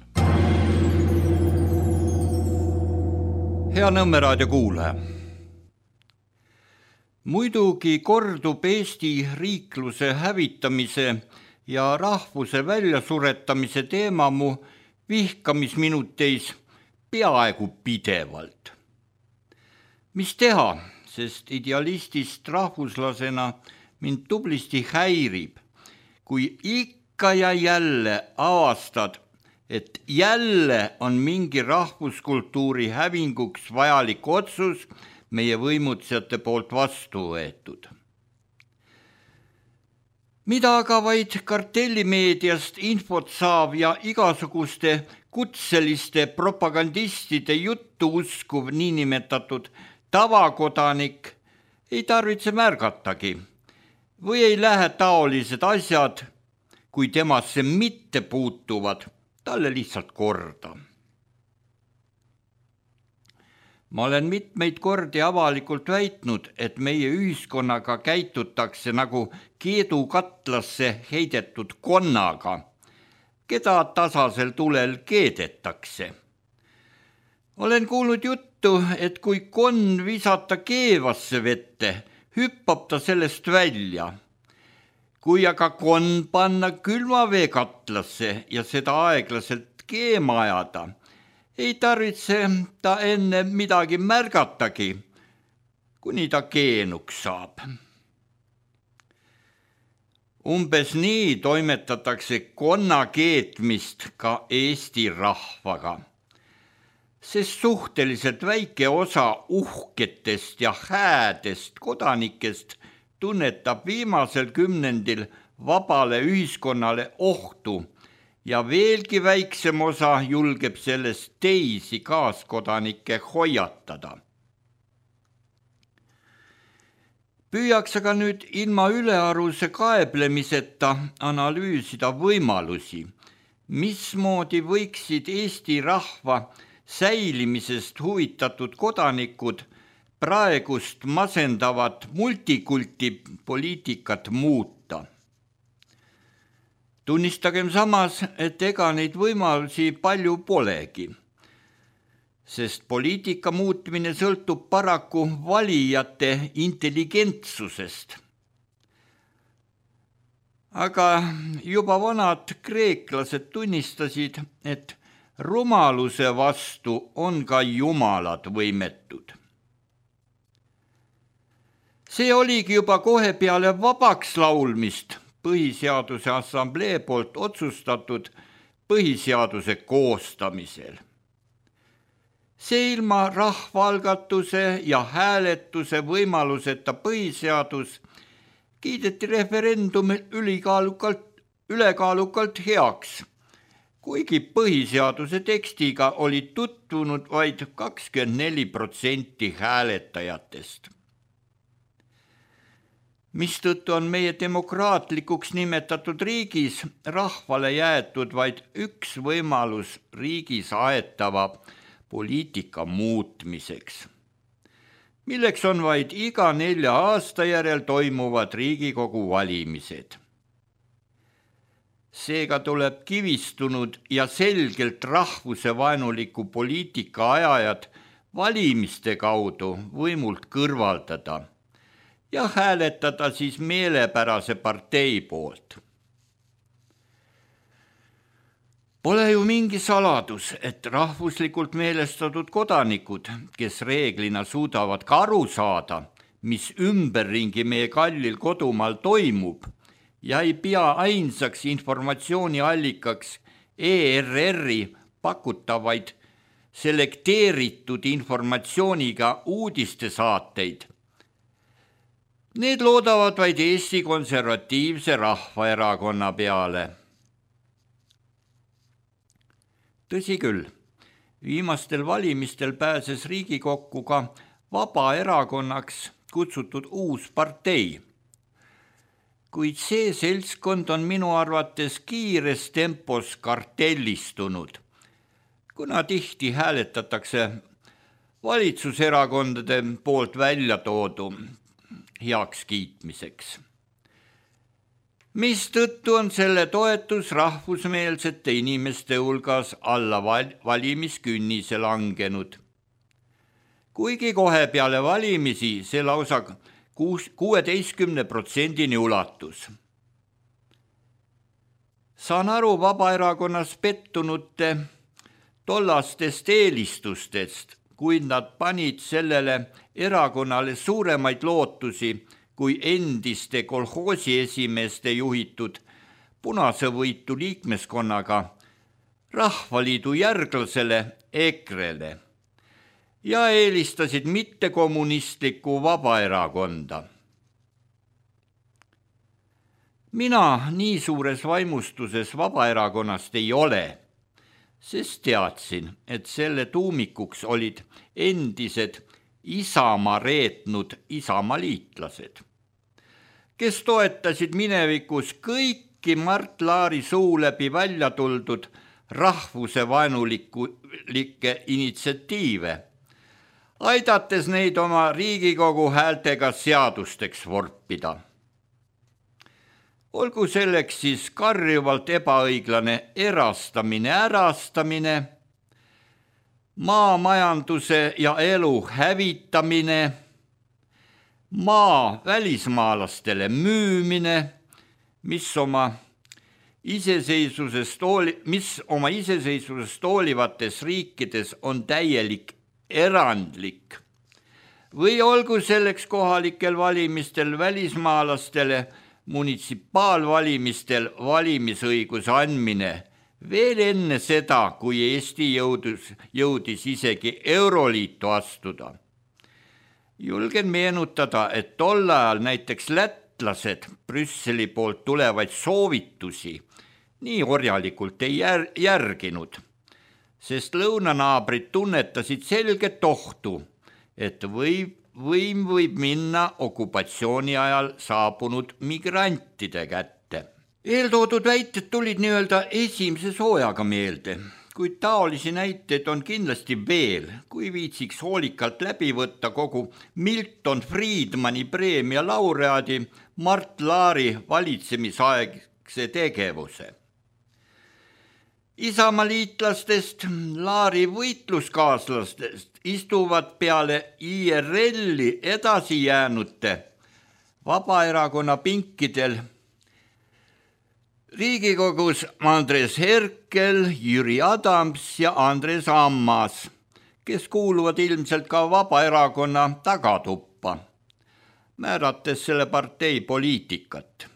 Hea Nõmme raadio kuulaja. Muidugi kordub Eesti riikluse hävitamise ja rahvuse väljasuretamise teema mu vihkamisminuteis peaaegu pidevalt. Mis teha, sest idealistist rahvuslasena mind tublisti häirib, kui ikka ja jälle avastad, et jälle on mingi rahvuskultuuri hävinguks vajalik otsus meie võimutsejate poolt vastu võetud. Mida aga vaid kartellimeediast infot saav ja igasuguste kutseliste propagandistide juttu uskuv niinimetatud tavakodanik ei tarvitse märgatagi või ei lähe taolised asjad, kui temasse mitte puutuvad, talle lihtsalt korda. Ma olen mitmeid kordi avalikult väitnud, et meie ühiskonnaga käitutakse nagu keedukatlasse heidetud konnaga, keda tasasel tulel keedetakse. Olen kuulnud juttu, et kui konn visata keevasse vette, hüppab ta sellest välja. Kui aga konn panna külmaveekatlasse ja seda aeglaselt keema ajada, ei tarvitse ta enne midagi märgatagi, kuni ta keenuks saab. Umbes nii toimetatakse konna keetmist ka Eesti rahvaga, sest suhteliselt väike osa uhketest ja häädest kodanikest tunnetab viimasel kümnendil vabale ühiskonnale ohtu ja veelgi väiksem osa julgeb sellest teisi kaaskodanikke hoiatada. Püüaks aga nüüd ilma ülearuse kaeblemiseta analüüsida võimalusi, mismoodi võiksid Eesti rahva säilimisest huvitatud kodanikud praegust masendavat multikulti poliitikat muuta. Tunnistagem samas, et ega neid võimalusi palju polegi, sest poliitika muutmine sõltub paraku valijate intelligentsusest. Aga juba vanad kreeklased tunnistasid, et rumaluse vastu on ka jumalad võimetud. See oligi juba kohe peale vabaks laulmist Põhiseaduse Assamblee poolt otsustatud põhiseaduse koostamisel. See ilma rahvaalgatuse ja hääletuse võimaluseta põhiseadus kiideti referendumil ülekaalukalt heaks, kuigi põhiseaduse tekstiga oli tutvunud vaid 24% hääletajatest. Mistõttu on meie demokraatlikuks nimetatud riigis rahvale jäetud vaid üks võimalus riigis aetava poliitika muutmiseks, milleks on vaid iga 4 aasta järel toimuvad Riigikogu valimised. Seega tuleb kivistunud ja selgelt rahvusevaenuliku poliitika ajajad valimiste kaudu võimult kõrvaldada ja hääletada siis meelepärase partei poolt. Pole ju mingi saladus, et rahvuslikult meelestatud kodanikud, kes reeglina suudavad ka aru saada, mis ümberringi meie kallil kodumaal toimub ja ei pea ainsaks informatsiooniallikaks ERR-i pakutavaid selekteeritud informatsiooniga uudistesaateid. Need loodavad vaid Eesti Konservatiivse Rahvaerakonna peale. Tõsi küll, viimastel valimistel pääses Riigikokku ka Vabaerakonnaks kutsutud uus partei, kuid see seltskond on minu arvates kiires tempos kartellistunud, kuna tihti hääletatakse valitsuserakondade poolt välja toodu, heakskiitmiseks. Mistõttu on selle toetus rahvusmeelsete inimeste hulgas alla valimiskünnise langenud. Kuigi kohe peale valimisi see lausa 16% ulatus. Saan aru Vabaerakonnas pettunute tollastest eelistustest, kuid nad panid sellele erakonnale suuremaid lootusi kui endiste kolhoosi esimeeste juhitud punasevõitu liikmeskonnaga Rahvaliidu järglasele EKRE-le ja eelistasid mittekommunistlikku Vabaerakonda. Mina nii suures vaimustuses Vabaerakonnast ei ole, sest teadsin, et selle tuumikuks olid endised Isamaa reetnud isamaliitlased, kes toetasid minevikus kõiki Mart Laari suu läbi välja tuldud rahvusevaenulikke initsiatiive, aidates neid oma Riigikogu häältega seadusteks vorpida. Olgu selleks siis karjuvalt ebaõiglane ärastamine, maamajanduse ja elu hävitamine, maa välismaalastele müümine, mis oma iseseisvusest hoolivates riikides on täielik erandlik, või olgu selleks kohalikel valimistel välismaalastele munitsipaalvalimistel valimisõiguse andmine veel enne seda, kui Eesti jõudis isegi Euroliitu astuda. Julgen meenutada, et tol ajal näiteks lätlased Brüsseli poolt tulevaid soovitusi nii orjalikult ei järginud, sest lõunanaabrid tunnetasid selget ohtu, et võim võib minna okupatsiooni ajal saabunud migrantide kätte. Eeltoodud väited tulid nii-öelda esimese soojaga meelde, kuid taolisi näiteid on kindlasti veel, kui viitsiks hoolikalt läbi võtta kogu Milton Friedmani preemia laureaadi Mart Laari valitsemisaegse tegevuse. Isamaliitlastest, Laari võitluskaaslastest istuvad peale IRL-i edasi jäänute Vabaerakonna pinkidel Riigikogus Andres Herkel, Jüri Adams ja Andres Ammas, kes kuuluvad ilmselt ka Vabaerakonna tagatuppa, määrates selle partei poliitikat.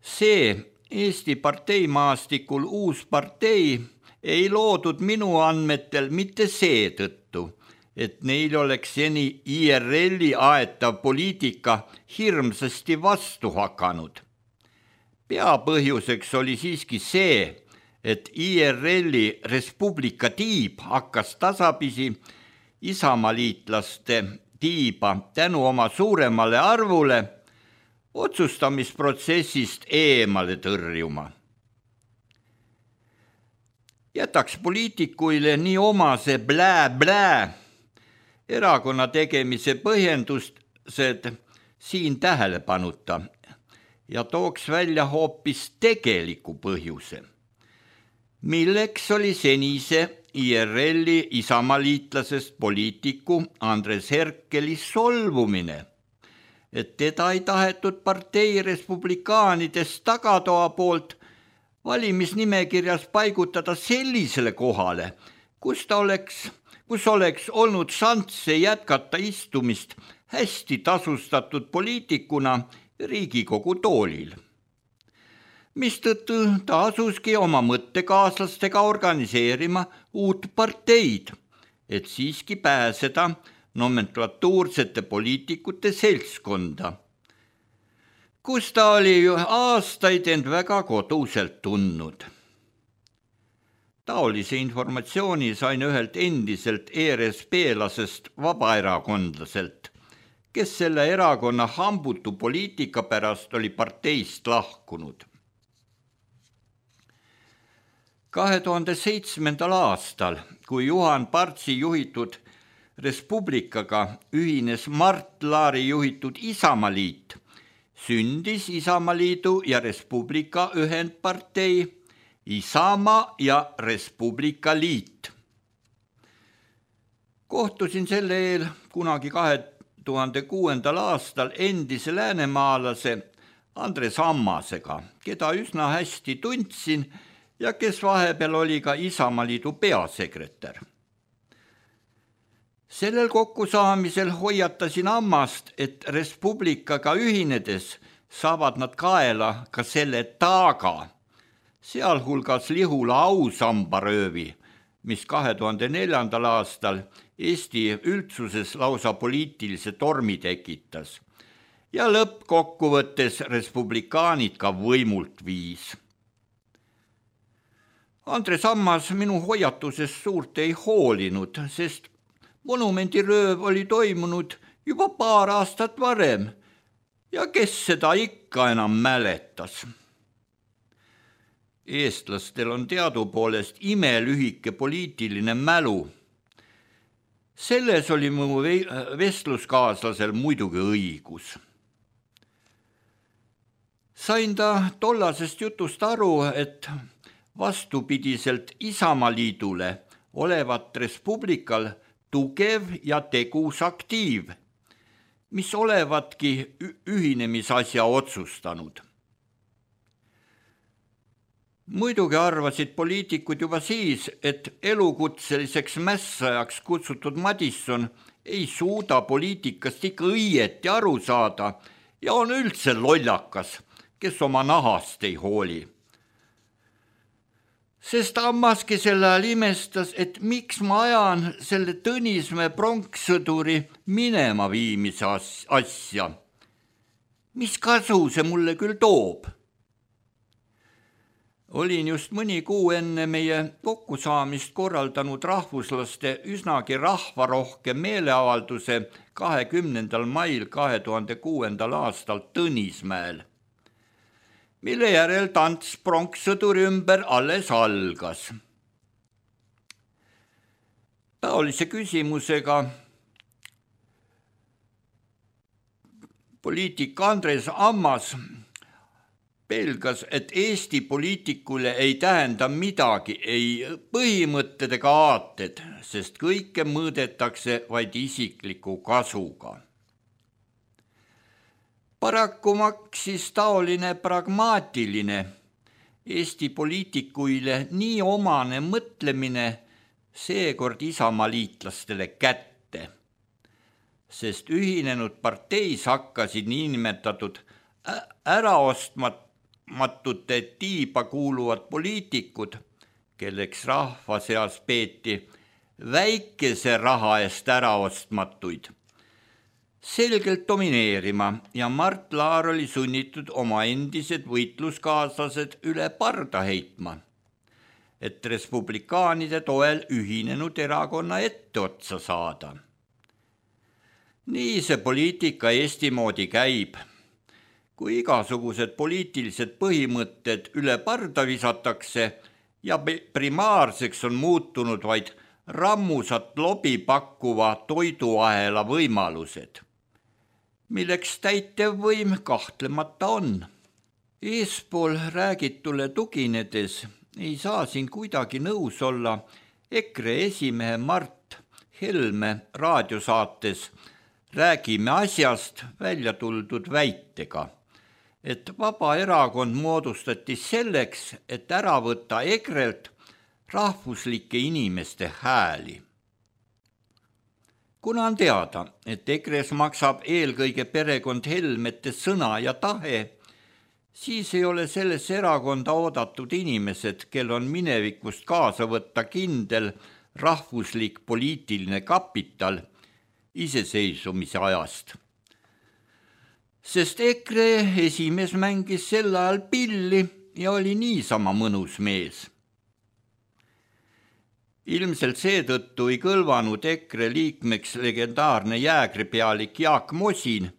See Eesti parteimaastikul uus partei ei loodud minu andmetel mitte seetõttu, et neil oleks seni IRL-i aetav poliitika hirmsasti vastu hakanud. Peapõhjuseks oli siiski see, et IRL-i Respublika tiib hakkas tasapisi isamaliitlaste tiiba tänu oma suuremale arvule otsustamisprotsessist eemale tõrjuma. Jätaks poliitikuile nii omase blää erakonna tegemise põhjendused siin tähelepanuta ja tooks välja hoopis tegeliku põhjuse, milleks oli senise IRL-i isamaliitlasest poliitiku Andres Herkeli solvumine, et teda ei tahetud partei respublikaanidest tagatoa poolt valimisnimekirjas paigutada sellisele kohale, kus oleks olnud šansse jätkata istumist hästi tasustatud poliitikuna Riigikogu toolil. Mistõttu ta asuski oma mõttekaaslastega organiseerima uut parteid, et siiski pääseda nomenklatuursete poliitikute seltskonda, kus ta oli ju aastaid end väga koduselt tundnud. Taolise informatsiooni sain ühelt endiselt ERSP-lasest vabaerakondlaselt, kes selle erakonna hambutu poliitika pärast oli parteist lahkunud. 2007. aastal, kui Juhan Partsi juhitud Res Publicaga ühines Mart Laari juhitud Isamaaliit, sündis Isamaaliidu ja Res Publica ühendpartei Isamaa ja Res Publica liit. Kohtusin selle eel kunagi 2006. aastal endise läänemaalase Andres Ammasega, keda üsna hästi tundsin ja kes vahepeal oli ka Isamaaliidu peasekretär. Sellel kokkusaamisel hoiatasin Ammast, et Res Publicaga ühinedes saavad nad kaela ka selle taaga, sealhulgas Lihula ausambaröövi, mis 2004. aastal Eesti üldsuses lausa poliitilise tormi tekitas ja lõppkokkuvõttes respublikaanid ka võimult viis. Andres Ammas minu hoiatusest suurt ei hoolinud, sest monumendirööv oli toimunud juba paar aastat varem ja kes seda ikka enam mäletas. Eestlastel on teadupoolest imelühike poliitiline mälu. Selles oli mu vestluskaaslasel muidugi õigus. Sain ta tollasest jutust aru, et vastupidiselt Isamaaliidule olevat Res Publical tugev ja tegus aktiiv, mis olevatki ühinemisasja otsustanud. Muidugi arvasid poliitikud juba siis, et elukutseliseks mässajaks kutsutud Madisson ei suuda poliitikast ikka õieti aru saada ja on üldse lollakas, kes oma nahast ei hooli. Sest Ammaski sel ajal imestas, et miks ma ajan selle Tõnismäe pronkssõduri minema viimise asja. Mis kasu see mulle küll toob? Olin just mõni kuu enne meie kokkusaamist korraldanud rahvuslaste üsnagi rahvarohke meeleavalduse 20. mail 2006. aastal Tõnismäel, mille järel tants pronkssõduri ümber alles algas. Taolise küsimusega poliitik Andres Ammas pelgas, et Eesti poliitikule ei tähenda midagi, ei põhimõtted ega aated, sest kõike mõõdetakse vaid isikliku kasuga. Paraku maksis taoline pragmaatiline Eesti poliitikuile nii omane mõtlemine seekord Isamaaliitlastele kätte, sest ühinenud parteis hakkasid niinimetatud äraostmatute tiiba kuuluvad poliitikud, kelleks rahva seas peeti väikese raha eest äraostmatuid, selgelt domineerima ja Mart Laar oli sunnitud oma endised võitluskaaslased üle parda heitma, et respublikaanide toel ühinenud erakonna etteotsa saada. Nii see poliitika Eesti moodi käib. Kui igasugused poliitilised põhimõtted üle parda visatakse ja primaarseks on muutunud vaid rammusat lobi pakkuva toiduahela võimalused, milleks täitevvõim kahtlemata on. Eespool räägitule tuginedes ei saa siin kuidagi nõus olla EKRE esimehe Mart Helme raadiosaates Räägime asjast välja tuldud väitega, et Vabaerakond moodustati selleks, et ära võtta EKRE-lt rahvuslike inimeste hääli. Kuna on teada, et EKRE-s maksab eelkõige perekond Helmete sõna ja tahe, siis ei ole sellesse erakonda oodatud inimesed, kel on minevikust kaasa võtta kindel rahvuslik poliitiline kapital iseseisvumise ajast. Sest EKRE esimees mängis sel ajal pilli ja oli niisama mõnus mees. Ilmselt seetõttu ei kõlvanud EKRE liikmeks legendaarne jäägripealik Jaak Mosin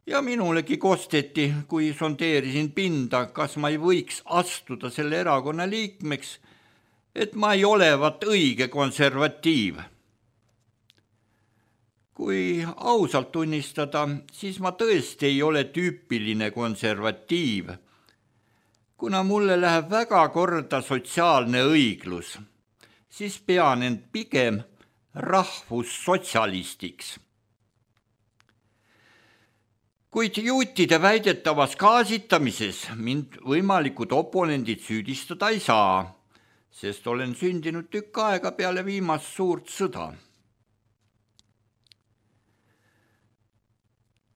ja minulegi kosteti, kui sondeerisin pinda, kas ma ei võiks astuda selle erakonna liikmeks, et ma ei olevat õige konservatiiv. Kui ausalt tunnistada, siis ma tõesti ei ole tüüpiline konservatiiv, kuna mulle läheb väga korda sotsiaalne õiglus, siis pean end pigem rahvussotsialistiks. Kuid juutide väidetavas gaasitamises mind võimalikud oponendid süüdistada ei saa, sest olen sündinud tükk aega peale viimast suurt sõda.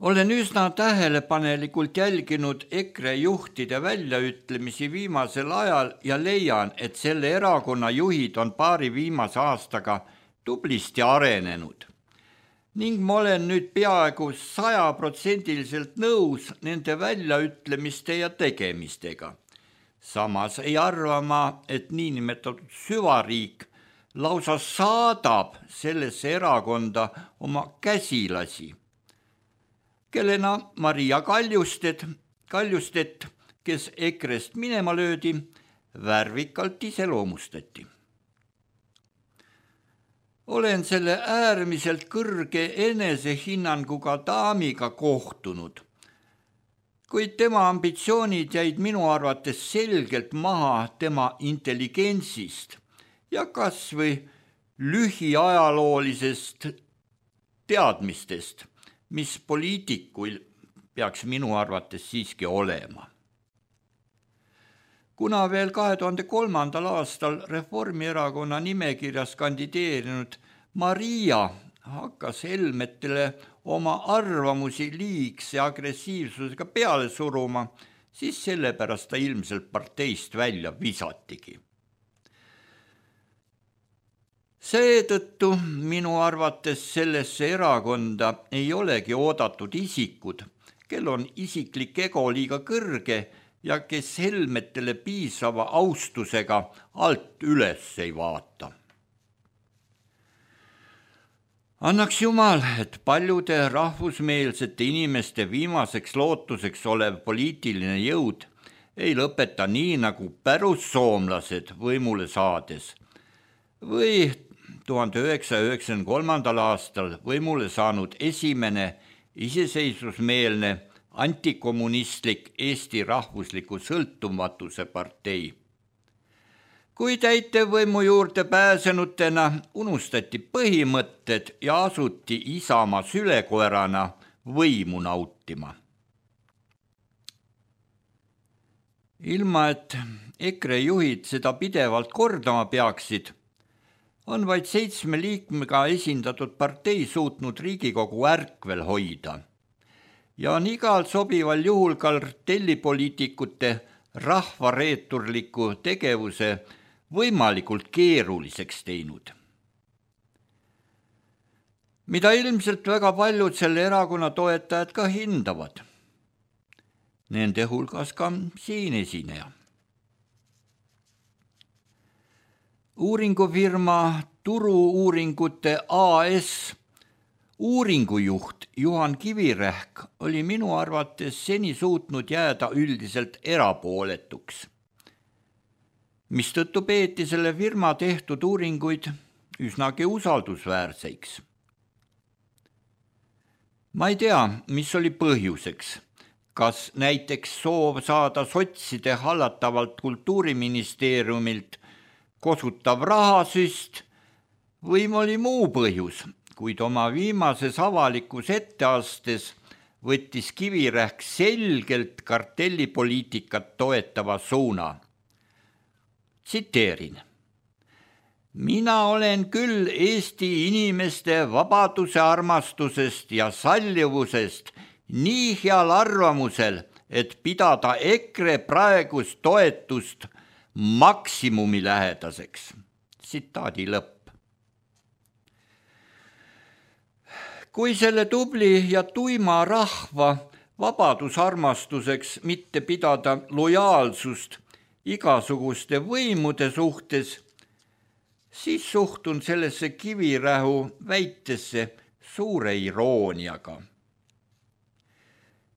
Olen üsna tähelepanelikult jälginud EKRE juhtide väljaütlemisi viimasel ajal ja leian, et selle erakonna juhid on paari viimase aastaga tublisti arenenud. Ning ma olen nüüd peaaegu 100% nõus nende väljaütlemiste ja tegemistega. Samas ei arva ma, et niinimetatud süvariik lausa saadab sellesse erakonda oma käsilasi, kellena Maria Kaljustet, kes EKRE-st minema löödi, värvikalt iseloomustati. Olen selle äärmiselt kõrge enesehinnanguga daamiga kohtunud, kuid tema ambitsioonid jäid minu arvates selgelt maha tema intelligentsist ja kas või lühiajaloolisest teadmistest, mis poliitikul peaks minu arvates siiski olema. Kuna veel 2003. aastal Reformierakonna nimekirjas kandideerinud Maria hakkas Helmetele oma arvamusi liigse agressiivsusega peale suruma, siis sellepärast ta ilmselt parteist välja visatigi. Seetõttu minu arvates sellesse erakonda ei olegi oodatud isikud, kel on isiklik ego liiga kõrge ja kes Helmetele piisava austusega alt üles ei vaata. Annaks Jumal, et paljude rahvusmeelsete inimeste viimaseks lootuseks olev poliitiline jõud ei lõpeta nii nagu pärussoomlased võimule saades või 1993. aastal võimule saanud esimene iseseisvusmeelne antikommunistlik Eesti rahvusliku sõltumatuse partei. Kui täitevvõimu juurde pääsenutena unustati põhimõtted ja asuti Isamaa sülekoerana võimu nautima. Ilma, et EKRE juhid seda pidevalt kordama peaksid, on vaid 7 liikmega esindatud partei suutnud Riigikogu ärkvel hoida ja on igal sobival juhul kartellipoliitikute rahvareeturliku tegevuse võimalikult keeruliseks teinud. Mida ilmselt väga paljud selle erakonna toetajad ka hindavad. Nende hulgas ka siin esineja. Uuringufirma Turu-uuringute AS uuringujuht Juhan Kivirähk oli minu arvates seni suutnud jääda üldiselt erapooletuks, mistõttu peeti selle firma tehtud uuringuid üsnagi usaldusväärseks. Ma ei tea, mis oli põhjuseks, kas näiteks soov saada sotside hallatavalt Kultuuriministeeriumilt kosutav rahasüst või oli muu põhjus, kuid oma viimases avalikus etteastes võttis Kivirähk selgelt kartellipoliitikat toetava suuna. Tsiteerin. Mina olen küll Eesti inimeste vabaduse armastusest ja sallivusest nii heal arvamusel, et pidada EKRE praegust toetust maksimumi lähedaseks. Tsitaadi lõpp. Kui selle tubli ja tuima rahva vabadusarmastuseks mitte pidada lojaalsust igasuguste võimude suhtes, siis suhtun sellesse Kivirähu väitesse suure irooniaga.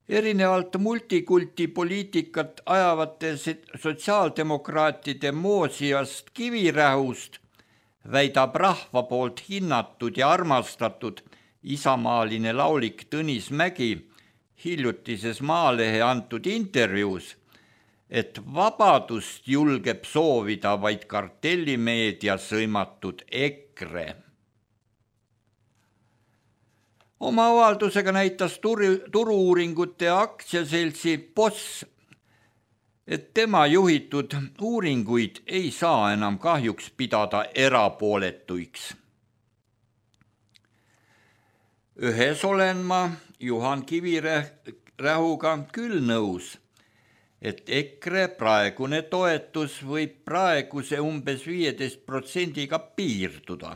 Erinevalt multikulti poliitikat ajavate sotsiaaldemokraatide moosiast Kivirähust väidab rahva poolt hinnatud ja armastatud isamaaline laulik Tõnis Mägi hiljutises Maalehe antud intervjuus, et vabadust julgeb soovida vaid kartellimeedia sõimatud EKRE. Oma avaldusega näitas turu-uuringute aktsiaseltsi Boss, et tema juhitud uuringuid ei saa enam kahjuks pidada erapooletuiks. Ühes olen ma Juhan Kivirähuga küll nõus, et EKRE praegune toetus võib praeguse umbes 15% piirduda.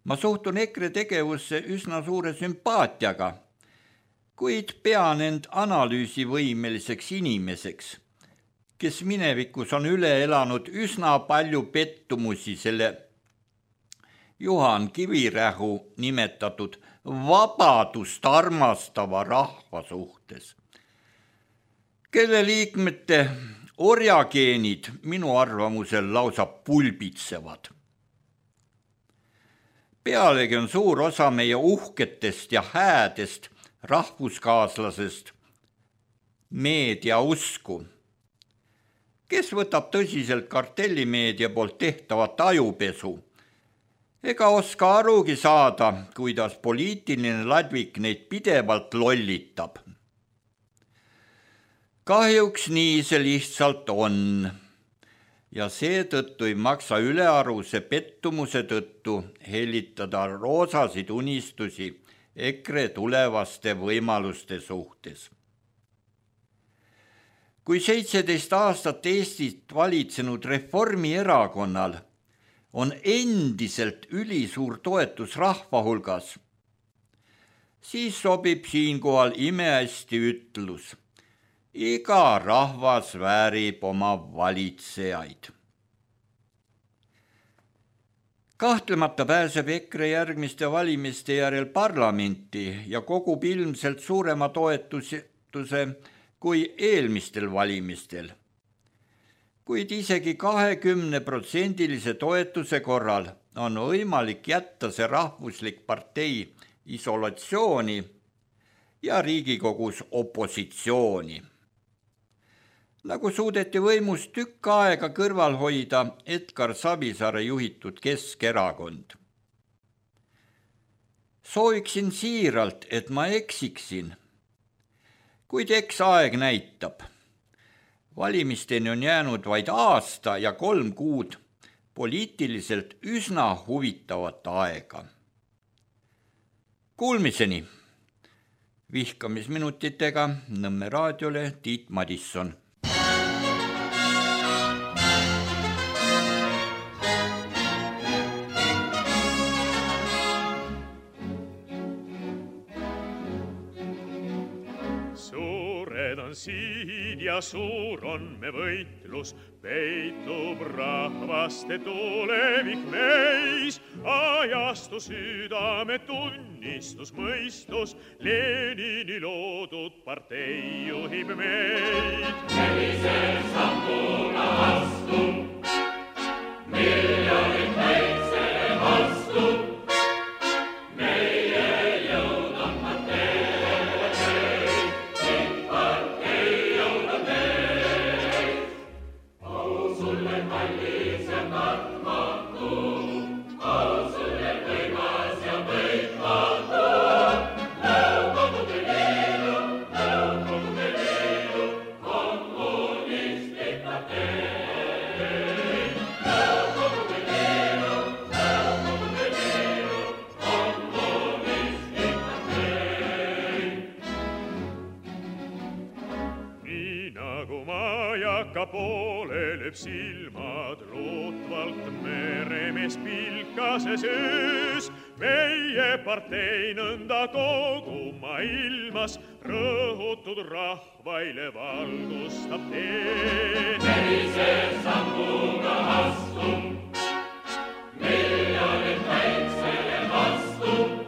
Ma suhtun EKRE tegevusse üsna suure sümpaatiaga, kuid pean end analüüsivõimeliseks inimeseks, kes minevikus on üle elanud üsna palju pettumusi selle Juhan Kivirähu nimetatud vabadust armastava rahva suhtes, kelle liikmete orjageenid minu arvamusel lausa pulbitsevad. Pealegi on suur osa meie uhketest ja häädest rahvuskaaslasest meedia usku, kes võtab tõsiselt kartellimeedia poolt tehtavat ajupesu ega oska arugi saada, kuidas poliitiline ladvik neid pidevalt lollitab. Kahjuks nii see lihtsalt on ja seetõttu ei maksa ülearuse pettumuse tõttu hellitada roosasid unistusi EKRE tulevaste võimaluste suhtes. Kui 17 aastat Eestit valitsenud Reformierakonnal on endiselt ülisuur toetus rahva hulgas, siis sobib siinkohal imehästi ütlus: iga rahvas väärib oma valitsejaid. Kahtlemata pääseb EKRE järgmiste valimiste järel parlamenti ja kogub ilmselt suurema toetuse kui eelmistel valimistel. Kuid isegi 20% toetuse korral on võimalik jätta see rahvuslik partei isolatsiooni ja Riigikogus opositsiooni. Nagu suudeti võimust tükk aega kõrval hoida Edgar Savisaare juhitud Keskerakond. Sooviksin siiralt, et ma eksiksin, kuid eks aeg näitab. Valimisteni on jäänud vaid aasta ja 3 kuud poliitiliselt üsna huvitavat aega. Kuulmiseni! Vihkamisminutitega Nõmme raadiole Tiit Madisson. Siin ja suur on me võitlus, peitub rahvaste tulevik meis, ajastu südame tunnistus mõistus, Lenini loodud partei juhib meid. Sellisel sammuna astub, miljonid kaitsele vastub, poole lööb silmad lootvalt meremees pilkases öös. Meie partei nõnda kogu maailmas rõhutud rahvaile valgustab teed. Sellise sammuga astub, miljonid päiksele vastub.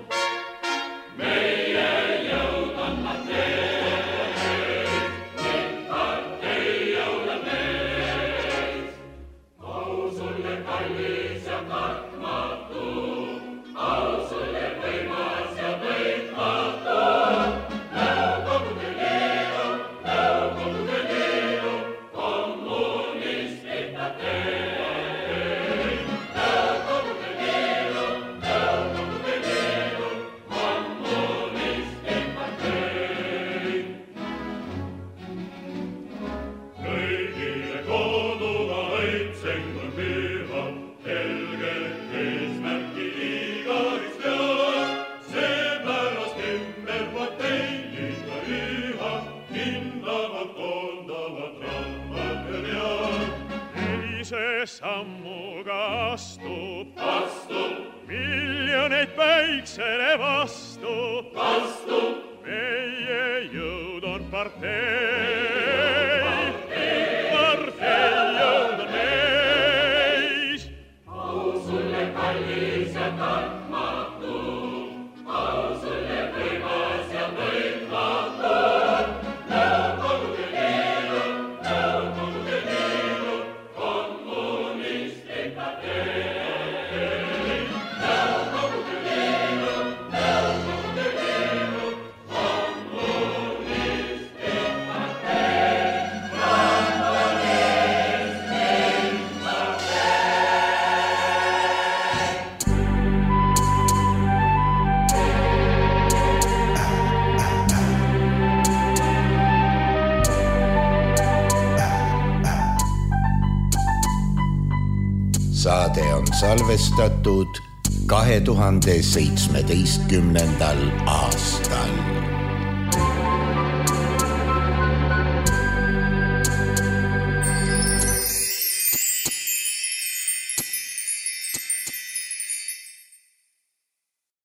Au sulle miljoneid päiksele vastu, meie jõud on partei jõud on meis. Au sulle kallis ja tarkmatu, au sulle võimas ja võitmatu. Nõukogude Liidu, kommunistlik partei. Nõukogude Liidu, kommunistlik partei. Saade on salvestatud 2017. aastal.